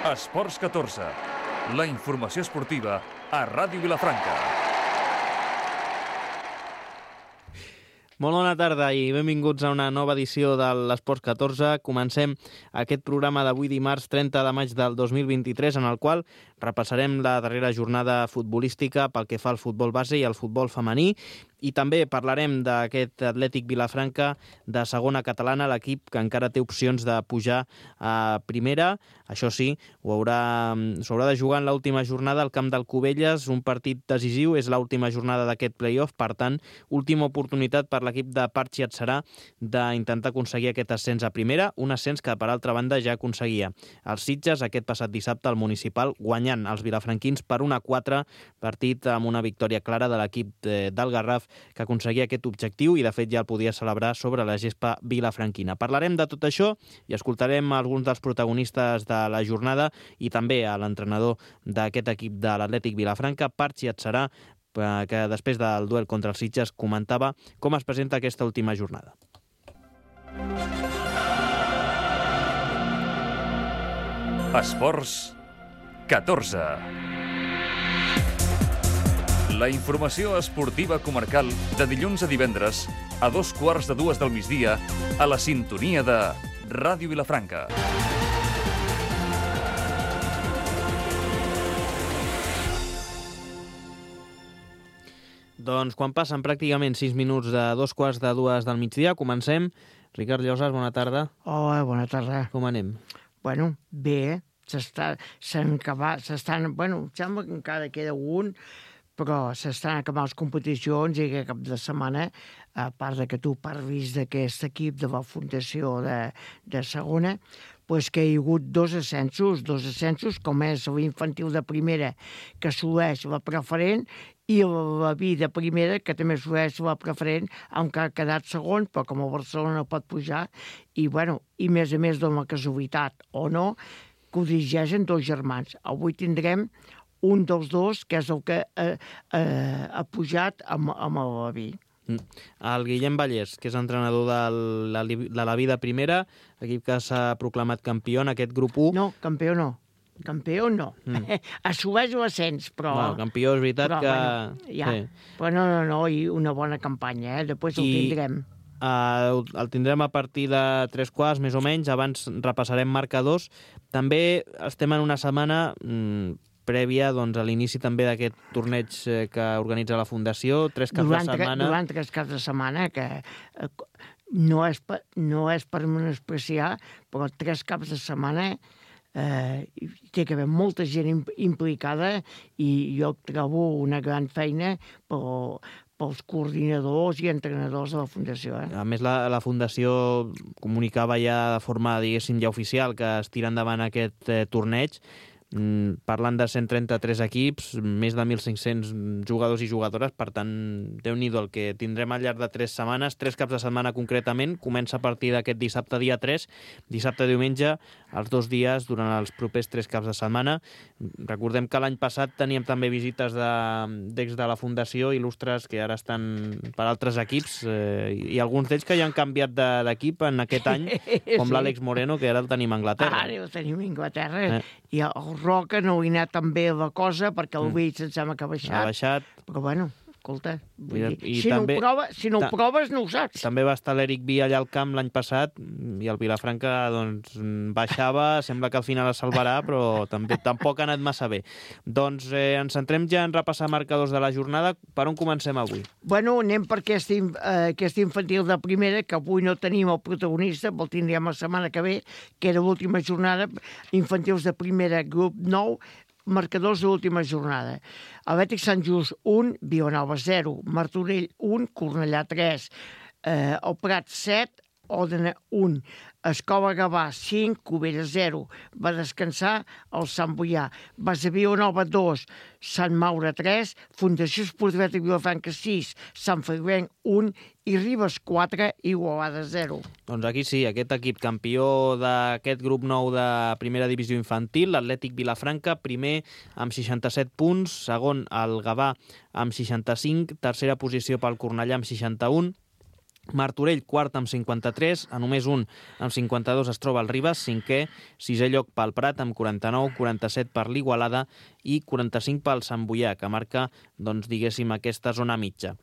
Esports 14, la informació esportiva a Ràdio Vilafranca. Molt bona tarda i benvinguts a una nova edició de l'Esports 14. Comencem aquest programa d'avui dimarts 30 de maig del 2023, en el qual repassarem la darrera jornada futbolística pel que fa al futbol base i al futbol femení, i també parlarem d'aquest Atlètic Vilafranca de segona catalana, l'equip que encara té opcions de pujar a primera. Això sí, s'haurà de jugar en l'última jornada al camp del Cubelles, un partit decisiu, és l'última jornada d'aquest play-off, per tant, última oportunitat per l'equip de Parchi Atzarà d'intentar aconseguir aquest ascens a primera, un ascens que, per altra banda, ja aconseguia els Sitges aquest passat dissabte al municipal, guanyant els vilafranquins per 1-4, partit amb una victòria clara de l'equip del Garraf, que aconseguia aquest objectiu i, de fet, ja el podia celebrar sobre la gespa vilafranquina. Parlarem de tot això i escoltarem alguns dels protagonistes de la jornada i també a l'entrenador d'aquest equip de l'Atlètic Vilafranca, Parchi Atzarà, que després del duel contra els Sitges comentava com es presenta aquesta última jornada. Esports 14. La informació esportiva comarcal de dilluns a divendres a 2:15 del migdia a la sintonia de Ràdio Vilafranca. Doncs quan passen pràcticament 6 minuts de 2:15 del migdia, comencem. Ricard Llosas, bona tarda. Hola, bona tarda. Com anem? Bueno, bé, sembla que encara queda un, però s'estan acabant les competicions i aquest cap de setmana, a part de que tu parlis d'aquest equip de la Fundació de segona, pues que hi ha hagut dos ascensos, com és l'infantil de primera, que assoleix la preferent, i la B de primera, que també assoleix la preferent, aunque ha quedat segon, però com el Barcelona pot pujar, i a més dona la casualitat o no, que ho dirigeixen dos germans. Avui tindrem un dels dos, que és el que ha pujat amb la B. El Guillem Vallès, que és entrenador de la vida primera, equip que s'ha proclamat campió en aquest grup 1. No, campió no. Assoleix l'ascens, però... No, campió és veritat que... Sí. Però no, i una bona campanya, Després el tindrem. El tindrem a partir de 3:15, més o menys. Abans repassarem marcadors. També estem en una setmana prèvia a l'inici també d'aquest torneig que organitza la Fundació, 3 caps de setmana. Durant 3 caps de setmana, que no és per menospreciar, però 3 caps de setmana té que haver molta gent implicada i jo trobo una gran feina pels coordinadors i entrenadors de la Fundació. A més, la Fundació comunicava ja de forma, diguéssim, ja oficial que es tira endavant aquest torneig. Parlant de 133 equips, més de 1.500 jugadors i jugadores, per tant, Déu-n'hi-do el que tindrem al llarg de 3 setmanes, 3 caps de setmana concretament. Comença a partir d'aquest dissabte, dia 3, dissabte-diumenge, els 2 dies durant els propers 3 caps de setmana. Recordem que l'any passat teníem també visites d'ex de la Fundació, il·lustres que ara estan per altres equips, i alguns d'ells que ja han canviat d'equip en aquest any, com l'Àlex Moreno, que ara el tenim a Anglaterra. Ara el tenim a Anglaterra, i el Roca no hi ha anat tan bé la cosa, perquè el Beach em sembla que ha baixat. Però escolta, si no ho proves no ho saps. També va estar l'Eric Vi allà al camp l'any passat i el Vilafranca baixava, sembla que al final es salvarà, però tampoc ha anat massa bé. Doncs ens centrem ja en repassar marcadors de la jornada. Per on comencem avui? Anem per aquest infantil de primera, que avui no tenim el protagonista, el tindrem la setmana que ve, que era l'última jornada, infantils de primera, grup 9, marcadors de l'última jornada. Atlètic Sant Just 1, Vilanova 0, Martorell 1, Cornellà 3, el Prat 7, Òdena 1, Escola Gavà 5, Cubelles 0, va descansar el Sant Boià, Base Vilanova 2, Sant Maure 3, Fundació Esportiva de Vilafranca 6, Sant Feliuenc 1 i Ribes 4, Igualada 0. Doncs aquí sí, aquest equip campió d'aquest grup 9 de primera divisió infantil, l'Atlètic Vilafranca, primer amb 67 punts, segon el Gavà amb 65, tercera posició pel Cornellà amb 61, Martorell, quart amb 53, a només un amb 52 es troba el Ribes, cinquè, sisè lloc pel Prat amb 49, 47 per l'Igualada i 45 pel Sant Boià, que marca, doncs, diguéssim, aquesta zona mitja.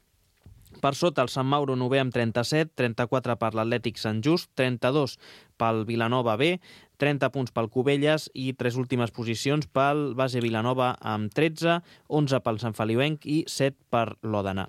Per sota, el Sant Mauro novè amb 37, 34 per l'Atlètic Sant Just, 32 pel Vilanova B, 30 punts pel Cubelles i 3 últimes posicions pel Base Vilanova amb 13, 11 pel Sant Feliuenc i 7 per l'Òdena.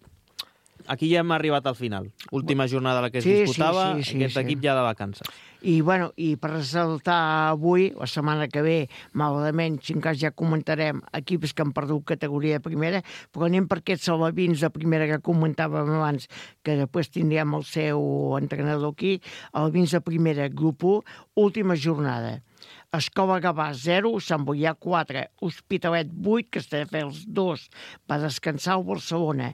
Aquí ja hem arribat al final. Última jornada a la que es disputava, aquest equip ja de vacances. I per ressaltar avui, la setmana que ve, malauradament, si en cas ja comentarem equips que han perdut categoria de primera, però anem per aquests salvavins de primera que comentàvem abans, que després tindríem el seu entrenador aquí. Alvins de primera, grup 1, última jornada. Escola Gavà 0, Sant Boià 4, Hospitalet 8, Castelldefels 2, va descansar el Barcelona,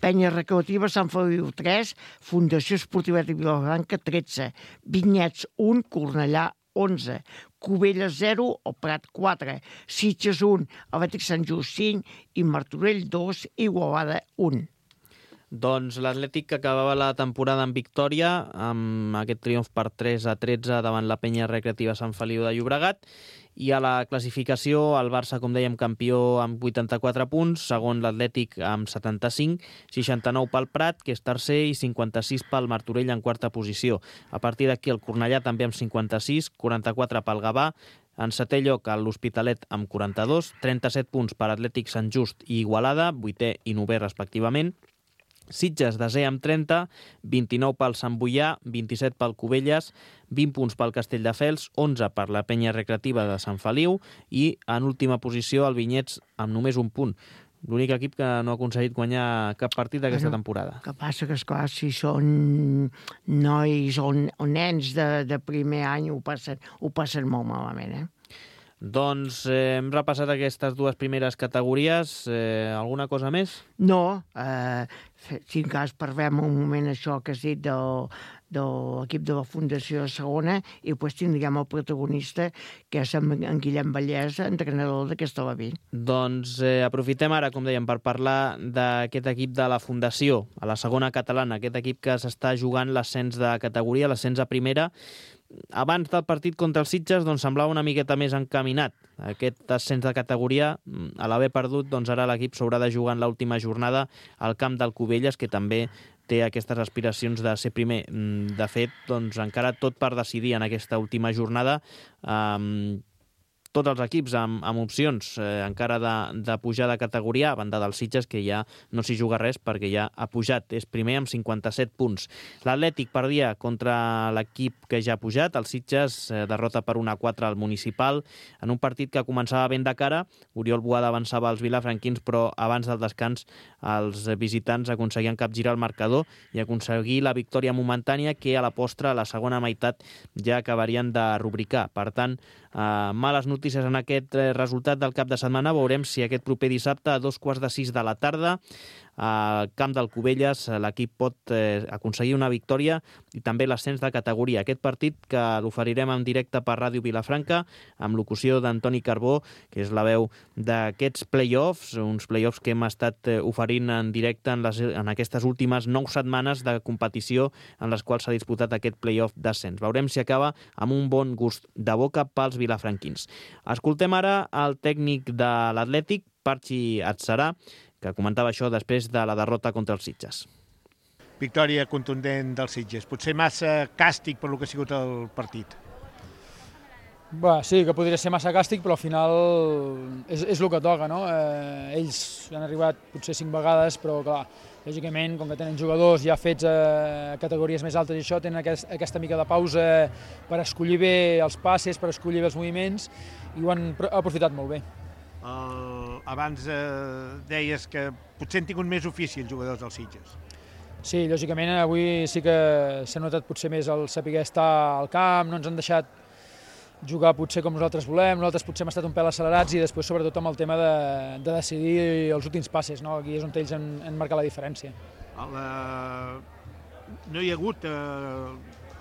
Penya Recreativa Sant Feliu 3, Fundació Esportiva de Vilafranca 13, Vinyets 1, Cornellà 11, Cubelles 0, el Prat 4, Sitges 1, Atlètic Sant Just 5 i Martorell 2, Igualada 1. Doncs l'Atlètic que acabava la temporada en victòria, amb aquest triomf per 3-13 davant la Penya Recreativa Sant Feliu de Llobregat, i a la classificació el Barça, com dèiem, campió amb 84 punts, segon l'Atlètic amb 75, 69 pel Prat, que és tercer, i 56 pel Martorell en quarta posició. A partir d'aquí el Cornellà també amb 56, 44 pel Gavà, en setè lloc l'Hospitalet amb 42, 37 punts per Atlètic Sant Just i Igualada, vuitè i novè respectivament, Sitges desè amb 30, 29 pel Sant Boià, 27 pel Cubelles, 20 punts pel Castelldefels, 11 per la Penya Recreativa de Sant Feliu i en última posició el Vinyets amb només un punt. L'únic equip que no ha aconseguit guanyar cap partit d'aquesta temporada. El que passa que, esclar, si són nois o nens de primer any ho passen molt malament, Doncs hem repassat aquestes dues primeres categories. Alguna cosa més? No, si en cas parlem un moment això que has dit de l'equip de la Fundació de Segona i després tindríem el protagonista, que és en Guillem Vallès, entrenador d'aquesta Laví. Doncs aprofitem ara, com dèiem, per parlar d'aquest equip de la Fundació, a la segona catalana, aquest equip que s'està jugant l'ascens de categoria, l'ascens a primera. Abans del partit contra els Sitges doncs, semblava una miqueta més encaminat. Aquest ascens de categoria, a l'haver perdut, doncs ara l'equip s'haurà de jugar en l'última jornada al camp del Cubelles, que també té aquestes aspiracions de ser primer. De fet, doncs, encara tot per decidir en aquesta última jornada. Tots els equips amb opcions encara de pujar de categoria, a banda dels Sitges, que ja no s'hi juga res perquè ja ha pujat. És primer amb 57 punts. L'Atlètic perdia contra l'equip que ja ha pujat. El Sitges derrota per 1-4 al Municipal en un partit que començava ben de cara. Oriol Boada avançava als vilafranquins, però abans del descans els visitants aconseguien capgirar el marcador i aconseguir la victòria momentània que a la postre, a la segona meitat, ja acabarien de rubricar. Per tant, males notícies en aquest resultat del cap de setmana. Veurem si aquest proper dissabte a 5:15 de la tarda al camp del Cubelles l'equip pot aconseguir una victòria i també l'ascens de categoria. Aquest partit que l'oferirem en directe per Ràdio Vilafranca amb locució d'Antoni Carbó, que és la veu d'aquests play-offs, uns play-offs que hem estat oferint en directe en aquestes últimes 9 setmanes de competició en les quals s'ha disputat aquest play-off d'ascens. Veurem si acaba amb un bon gust de boca pels vilafranquins. Escoltem ara el tècnic de l'Atlètic, Parchi Atzarà, que comentava això després de la derrota contra els Sitges. Victòria contundent dels Sitges. Potser massa càstig per lo que ha sigut el partit. Sí, que podria ser massa càstig, però al final és el que toca, no? Ells han arribat potser 5 vegades, però clar, lògicament, com que tenen jugadors ja fets a categories més altes i això, tenen aquesta mica de pausa per escollir bé els passes, per escollir bé els moviments, i ho han aprofitat molt bé. Abans deies que potser han tingut més ofici els jugadors dels Sitges. Sí, lògicament avui sí que s'ha notat potser més el saber estar al camp, no ens han deixat jugar potser com nosaltres volem, nosaltres potser hem estat un pèl accelerats i després sobretot amb el tema de decidir els últims passes, no? Aquí és on ells han marcat la diferència. No hi ha hagut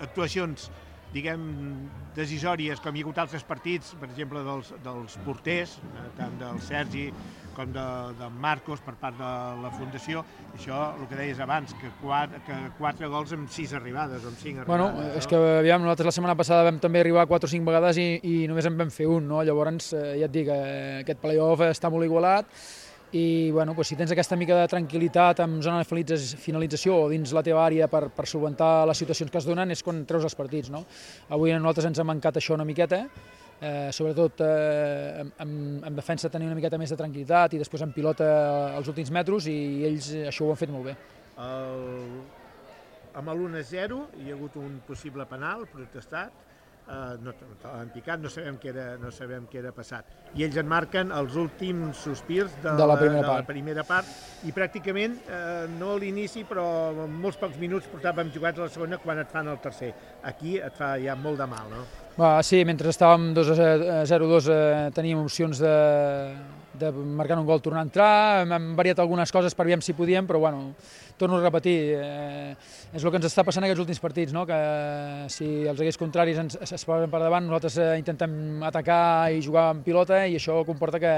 actuacions diguem, decisòries, com hi ha hagut altres partits, per exemple, dels porters, tant del Sergi com de Marcos per part de la Fundació. Això, el que deies abans, que 4 gols amb 6 arribades o amb 5 arribades. Bueno, és que aviam, nosaltres la setmana passada vam també arribar 4 o 5 vegades i només en vam fer un, no? Llavors, ja et dic, aquest play-off està molt igualat i bueno, doncs, si tens aquesta mica de tranquil·litat en zona de finalització o dins la teva àrea per solventar les situacions que es donen és quan treus els partits, no? Avui a nosaltres ens ha mancat això una miqueta, sobretot en defensa tenir una miqueta més de tranquil·litat i després en pilota els últims metres i ells això ho han fet molt bé. Amb l'1-0 hi ha hagut un possible penal protestat, no l'han picat, no sabem què era passat. I ells en marquen els últims sospirs de la primera part i pràcticament no a l'inici però en molts pocs minuts portàvem jugat a la segona quan et fan el tercer. Aquí et fa ja molt de mal, no? Sí, mentre estàvem 0-2 teníem opcions de marcar un gol, tornar a entrar, hem variat algunes coses per veure si podíem, però bueno, torno a repetir, és el que ens està passant en aquests últims partits, no? Que si els equips contraris es posen per davant, nosaltres intentem atacar i jugar amb pilota i això comporta que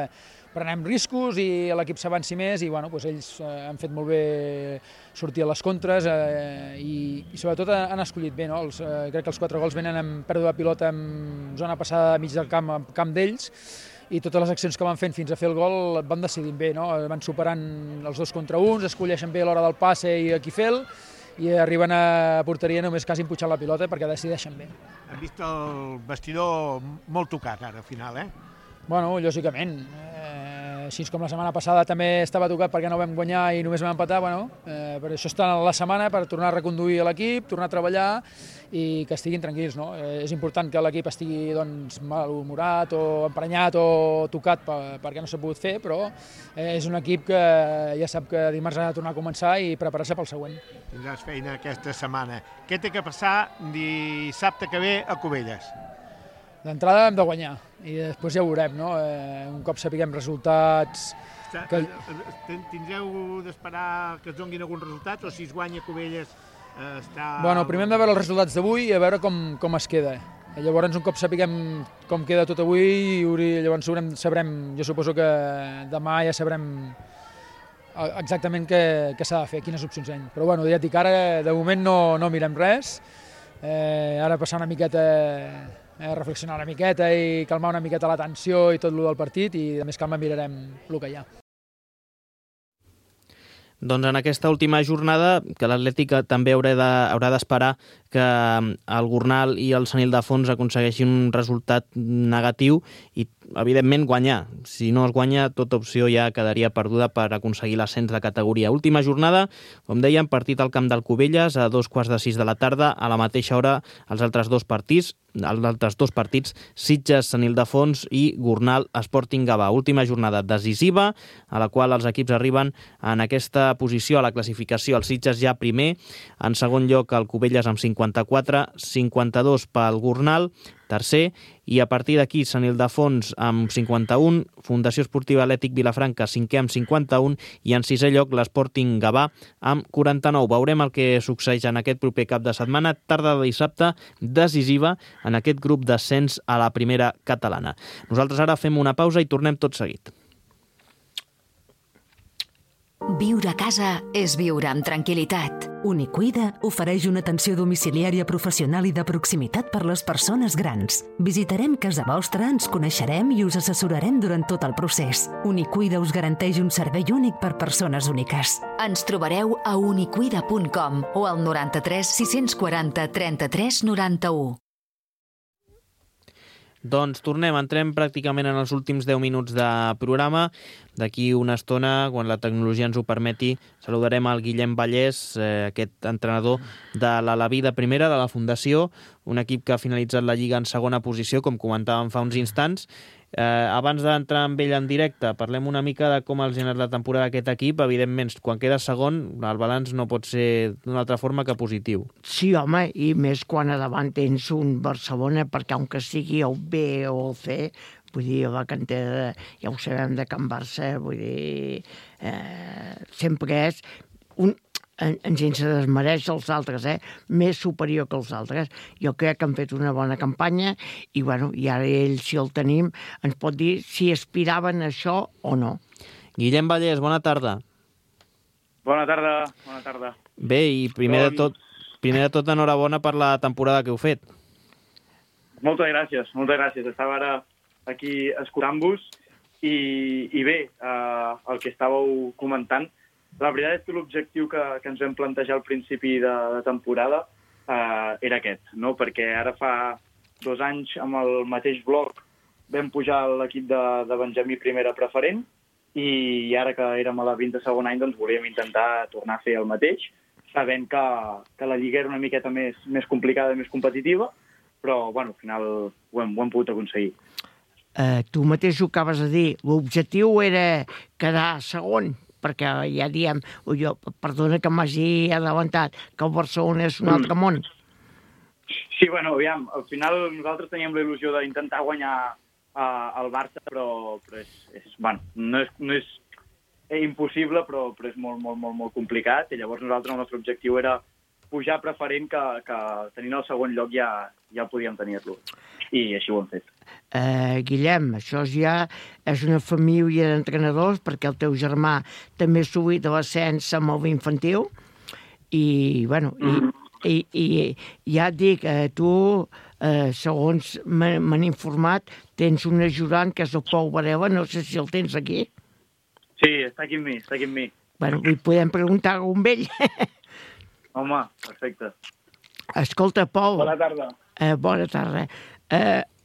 prenem riscos i l'equip s'avanci més i bueno, doncs ells han fet molt bé sortir a les contres i sobretot han escollit bé, no? Crec que els 4 gols venen amb pèrdua de pilota en zona passada mig del camp d'ells i totes les accions que van fent fins a fer el gol van decidint bé, no? Van superant els 2 contra 1, escolleixen bé l'hora del passe i a qui fer-lo i arriben a porteria només quasi empujant la pilota perquè decideixen bé. Hem vist el vestidor molt tocat ara al final, Bueno, lògicament. Així com la setmana passada també estava tocat perquè no vam guanyar i només vam empatar, bueno, per això està la setmana, per tornar a reconduir l'equip, tornar a treballar i que estiguin tranquils, no? És important que l'equip estigui doncs, malhumorat o emprenyat o tocat perquè no s'ha pogut fer, però és un equip que ja sap que dimarts ha de tornar a començar i preparar-se pel següent. Tindràs feina aquesta setmana. Què té que passar dissabte que ve a Cubelles? D'entrada hem de guanyar i després ja ho veurem, no? Un cop sapiguem resultats... Tindreu d'esperar que es donguin algun resultat o si es guanya Cubelles està... Bueno, primer hem de veure els resultats d'avui i a veure com es queda. Llavors, un cop sapiguem com queda tot avui, llavors sabrem, jo suposo que demà ja sabrem exactament què s'ha de fer, quines opcions hi ha. Però bueno, ja et dic, ara de moment no mirem res, ara passar una miqueta... reflexionar una miqueta i calmar una miqueta la tensió i tot el del partit i de més calma mirarem el que hi ha. Doncs en aquesta última jornada, que l'Atlètic també haurà d'esperar que el Gornal i el Sant Ildefons aconsegueixin un resultat negatiu i, evidentment, guanyar. Si no es guanya, tota opció ja quedaria perduda per aconseguir l'ascens de categoria. Última jornada, com dèiem, partit al camp del Cubelles a 2:45 de la tarda. A la mateixa hora, els altres dos partits, Sitges, Sant Ildefons i Gornal, Sporting Gavà. Última jornada decisiva, a la qual els equips arriben en aquesta posició a la classificació. El Sitges ja primer, en segon lloc el Cubelles amb 54, 52 pel Gornal, tercer, i a partir d'aquí Sant Ildefons amb 51, Fundació Esportiva Atlètic Vilafranca cinquè amb 51 i en sisè lloc l'Sporting Gavà amb 49. Veurem el que succeeix en aquest proper cap de setmana, tarda de dissabte decisiva en aquest grup d'ascens a la primera catalana. Nosaltres ara fem una pausa i tornem tot seguit. Viure a casa és viure amb tranquil·litat. Unicuida ofereix una atenció domiciliària professional i de proximitat per les persones grans. Visitarem casa vostra, ens coneixerem i us assessorarem durant tot el procés. Unicuida us garanteix un servei únic per persones úniques. Ens trobareu a unicuida.com o al 93 640 33 91. Doncs tornem, entrem pràcticament en els últims 10 minuts de programa. D'aquí una estona, quan la tecnologia ens ho permeti, saludarem el Guillem Vallès, aquest entrenador de l'Alaví de primera, de la Fundació, un equip que ha finalitzat la Lliga en segona posició, com comentàvem fa uns instants. Abans d'entrar amb ell en directe, parlem una mica de com els ha anat la temporada d'aquest equip. Evidentment, quan queda segon, el balanç no pot ser d'una altra forma que positiu. Sí, home, i més quan a davant tens un Barcelona, perquè aunque sigui el B o el C, vull dir, la cantera, ja ho sabem de Can Barça, vull dir, sempre és sense desmereix els altres, més superior que els altres. Jo crec que han fet una bona campanya i, bueno, i ara ell, si el tenim, ens pot dir si aspiraven a això o no. Guillem Vallès, bona tarda. Bona tarda. Bé, i primer de tot, enhorabona per la temporada que heu fet. Moltes gràcies. Estava ara aquí escoltant-vos i bé, el que estàveu comentant, la veritat és que l'objectiu que ens vam plantejar al principi de temporada era aquest, no? Perquè ara fa 2 anys amb el mateix bloc vam pujar l'equip de Benjamí primera preferent i ara que érem a la 22 any doncs volíem intentar tornar a fer el mateix, sabent que la lliga era una miqueta més complicada i més competitiva, però bueno, al final ho hem pogut aconseguir. Tu mateix ho acabes de dir, l'objectiu era quedar segon, perquè ja diem, perdona que m'hagi adelantat, que el Barcelona és un altre món. Sí, bueno, aviam, al final nosaltres teníem la il·lusió d'intentar guanyar el Barça, però no és impossible, però és molt complicat, i llavors nosaltres el nostre objectiu era pujar preferent que tenint el segon lloc ja podíem tenir-lo. I així ho hem fet. Guillem, això ja és una família d'entrenadors, perquè el teu germà també ha subit a l'ascens amb el infantil, i, bueno, i ja et dic, tu, segons m'han informat, tens un ajudant que és el Pol Varela, no sé si el tens aquí. Sí, està aquí amb mi. Bueno, li podem preguntar a un vell. Home, perfecte. Escolta, Pol. Bona tarda. Bona tarda.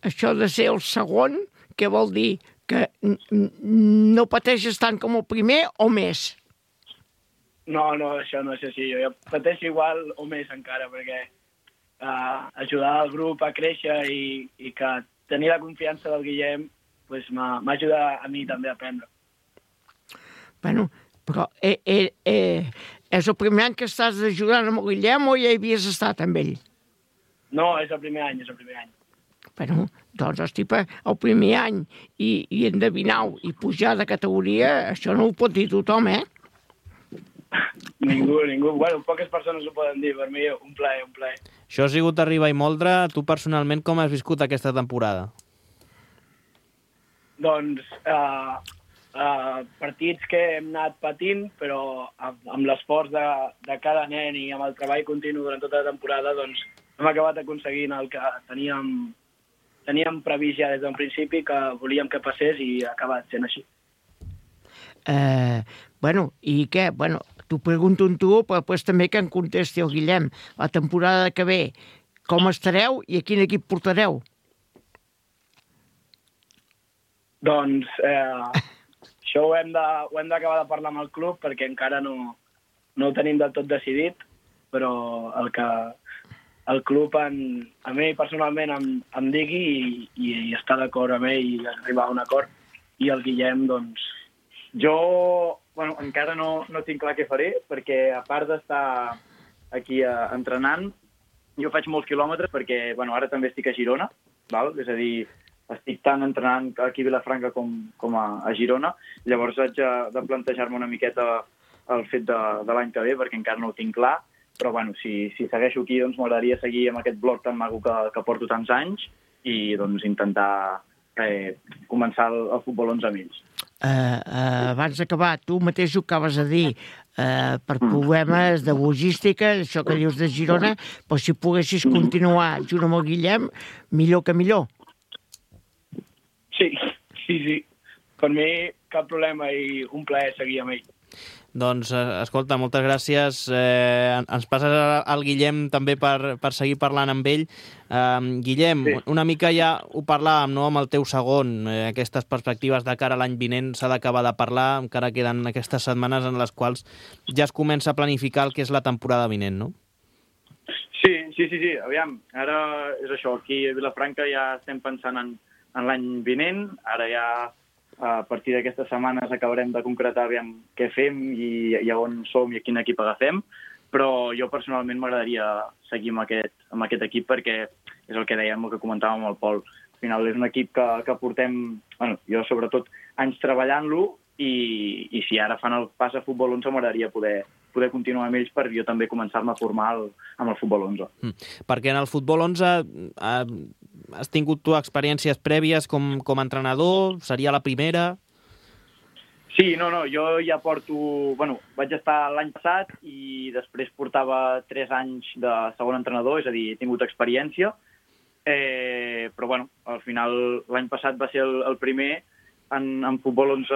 Això de ser el segon, què vol dir? Que no pateixes tant com el primer o més? No, això no és així. Jo pateixo igual o més encara, perquè ajudar el grup a créixer i que tenir la confiança del Guillem pues, m'ajuda a mi també a aprendre. Bueno, però és el primer any que estàs ajudant amb el Guillem o ja hi havies estat amb ell? No, és el primer any. Bueno, doncs, hosti, el primer any i endevinar-ho i pujar de categoria, això no ho pot dir tothom, Ningú. Bueno, poques persones ho poden dir. Per mi, un plaer. Això ha sigut arribar i moldre. Tu, personalment, com has viscut aquesta temporada? Doncs, partits que hem anat patint, però amb l'esforç de cada nen i amb el treball continu durant tota la temporada, doncs, hem acabat aconseguint el que teníem previst ja des del principi, que volíem que passés i ha acabat sent així. Bueno, i què? Bueno, t'ho pregunto en tu, però després també que en contesti el Guillem. La temporada que ve, com estareu i a quin equip portareu? Doncs això ho hem d'acabar de parlar amb el club perquè encara no ho tenim del tot decidit, però el club a mi personalment em digui i està d'acord amb ell i arribar a un acord. I el Guillem, doncs... Jo, encara no tinc clar què faré, perquè a part d'estar aquí entrenant, jo faig molts quilòmetres perquè, ara també estic a Girona, val? És a dir, estic tant entrenant aquí a Vilafranca com a Girona, llavors haig de plantejar-me una miqueta el fet de l'any que ve, perquè encara no ho tinc clar, però si segueixo aquí doncs m'agradaria seguir amb aquest bloc tan maco que porto tants anys i doncs intentar començar el futbol 11 amb ells. Abans d'acabar, tu mateix ho acabes de dir, per problemes de logística, això que dius de Girona, però si poguessis continuar junt amb el Guillem, millor que millor. Sí. Per mi cap problema i un plaer seguir amb ell. Doncs, escolta, moltes gràcies. Ens passes al Guillem també per seguir parlant amb ell. Guillem, sí. Una mica ja ho parlàvem, no?, amb el teu segon. Aquestes perspectives de cara a l'any vinent s'ha d'acabar de parlar, encara queden aquestes setmanes en les quals ja es comença a planificar el que és la temporada vinent, no? Sí. Aviam, ara és això. Aquí a Vilafranca ja estem pensant en l'any vinent. Ara ja... A partir d'aquestes setmanes acabarem de concretar què fem i on som i a quin equip agafem, però jo personalment m'agradaria seguir amb aquest equip perquè és el que dèiem, el que comentàvem amb el Pol. Al final és un equip que portem, jo sobretot, anys treballant-lo i si ara fan el pas a futbol 11 m'agradaria poder poder continuar amb ells per jo també començar-me a formar amb el futbol 11. Perquè en el futbol 11 has tingut tu experiències prèvies com a entrenador? Seria la primera? Sí, no, jo ja porto... Bueno, vaig estar l'any passat i després portava 3 anys de segon entrenador, és a dir, he tingut experiència, però bueno, al final l'any passat va ser el primer en futbol 11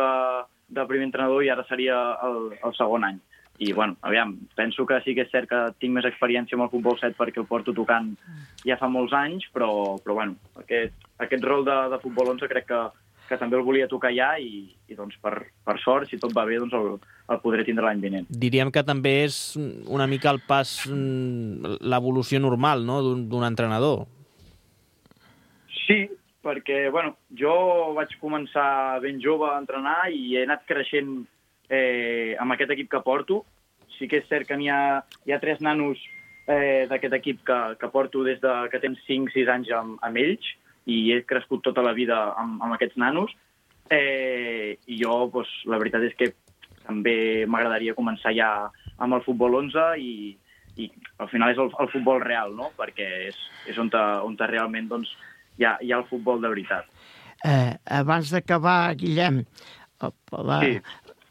de primer entrenador i ara seria el segon any. I bueno, aviam, penso que sí que és cert que tinc més experiència amb el futbol 7 perquè el porto tocant ja fa molts anys, però bueno, aquest rol de futbol 11 crec que també el volia tocar ja i doncs per sort, si tot va bé, doncs el podré tindre l'any vinent. Diríem que també és una mica el pas, l'evolució normal, no?, d'un entrenador. Sí, perquè, bueno, jo vaig començar ben jove a entrenar i he anat creixent amb aquest equip que porto. Sí que és cert que hi ha 3 nanos d'aquest equip que porto des que tenen 5-6 anys amb ells i he crescut tota la vida amb aquests nanos. I jo, doncs, la veritat és que també m'agradaria començar ja amb el futbol 11 i al final és el futbol real, no? Perquè és on realment doncs, hi ha el futbol de veritat. Abans d'acabar, Guillem,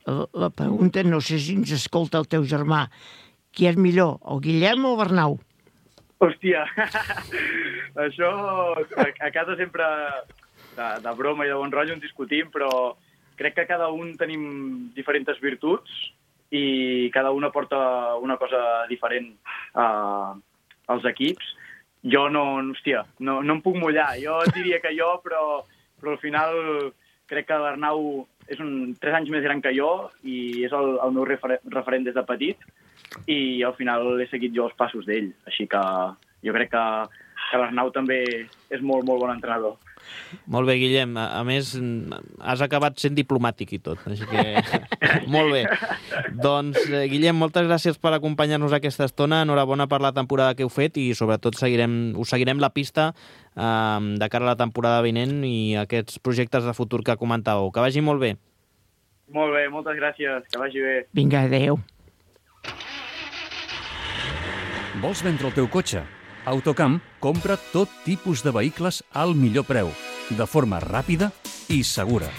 la pregunta, no sé si ens escolta el teu germà, qui és millor, el Guillem o el Bernau? Hòstia, això a casa sempre de broma i de bon rotllo en discutim, però crec que cada un tenim diferents virtuts i cada un aporta una cosa diferent als equips. Jo no em puc mullar. Jo et diria que jo, però al final crec que l'Arnau és 3 anys més gran que jo i és el meu referent des de petit i al final he seguit jo els passos d'ell. Així que jo crec que l'Arnau també és molt, molt bon entrenador. Molt bé, Guillem. A més, has acabat sent diplomàtic i tot, així que molt bé. Doncs, Guillem, moltes gràcies per acompanyar-nos aquesta estona. Enhorabona per la temporada que heu fet i, sobretot, us seguirem la pista de cara a la temporada vinent i aquests projectes de futur que comentàveu. Que vagi molt bé. Molt bé, moltes gràcies. Que vagi bé. Vinga, adéu. Vols vendre el teu cotxe? Autocamp compra tot tipus de vehicles al millor preu, de forma ràpida i segura.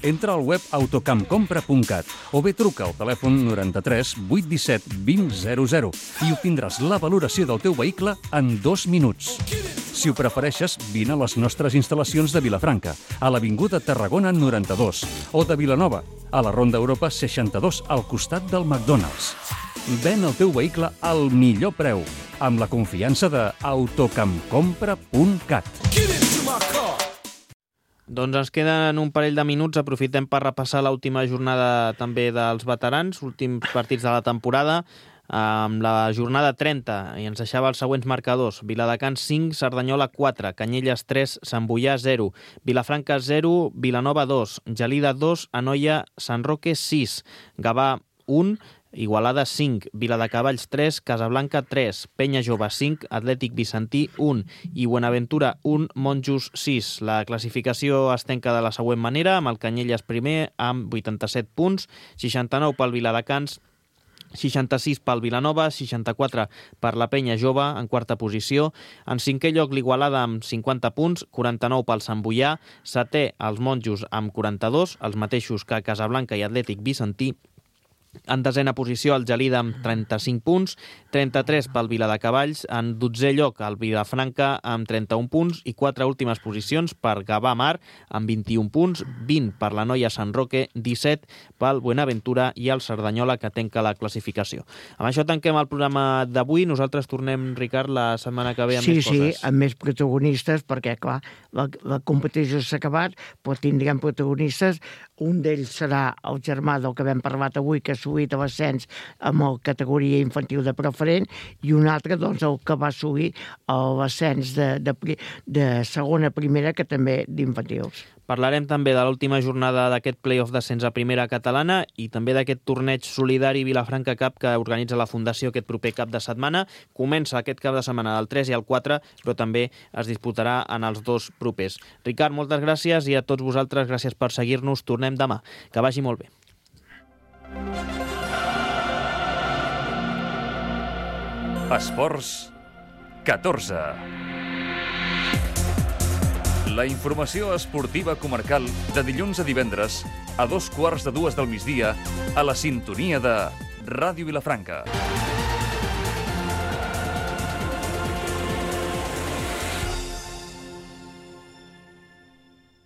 Entra al web autocampcompra.cat o bé truca al telèfon 93 817 2000 i obtindràs la valoració del teu vehicle en 2 minuts. Si ho prefereixes, vine a les nostres instal·lacions de Vilafranca, a l'Avinguda Tarragona 92, o de Vilanova, a la Ronda Europa 62, al costat del McDonald's. Ven el teu vehicle al millor preu, amb la confiança de autocampcompra.cat. Doncs ens queden un parell de minuts. Aprofitem per repassar l'última jornada també dels veterans, últims partits de la temporada. Amb la jornada 30 i ens deixava els següents marcadors: Viladecans 5, Cerdanyola 4, Canyelles 3, Sant Boià 0, Vilafranca 0, Vilanova 2, Gelida 2, Anoia, Sant Roque 6, Gavà 1, Igualada 5, Viladecavalls 3, Casablanca 3, Penya Jove 5, Atlètic Vicentí 1 i Buenaventura 1, Monjos 6. La classificació es tanca de la següent manera, amb el Canyelles primer amb 87 punts, 69 pel Viladecans, 66 pel Vilanova, 64 per la Penya Jove en quarta posició. En cinquè lloc l'Igualada amb 50 punts, 49 pel Sant Boià, setè els Monjos amb 42, els mateixos que Casablanca i Atlètic Vicentí. En desena posició el Gelida amb 35 punts, 33 pel Viladecavalls, en 12è lloc el Vilafranca amb 31 punts i 4 últimes posicions per Gavà Mar amb 21 punts, 20 per la Noia Sant Roque, 17 pel Buenaventura i el Cerdanyola, que tanca la classificació. Amb això tanquem el programa d'avui. Nosaltres tornem, Ricard, la setmana que ve amb més coses. Sí, amb més protagonistes, perquè, clar, la competició s'ha acabat, però tindrem protagonistes. Un d'ells serà el germà del que vam parlar avui, que ha assolit l'ascens amb la categoria infantil de preferent, i un altre, doncs, el que va assolir l'ascens de segona a primera, que també d'infantils. Parlarem també de l'última jornada d'aquest play-off d'ascens a primera catalana i també d'aquest torneig solidari Vilafranca Cup que organitza la Fundació aquest proper cap de setmana. Comença aquest cap de setmana del 3 i el 4, però també es disputarà en els 2 propers. Ricard, moltes gràcies, i a tots vosaltres gràcies per seguir-nos. Tornem demà. Que vagi molt bé. Esports 14. La informació esportiva comarcal de dilluns a divendres a 2:15 del migdia a la sintonia de Ràdio Vilafranca.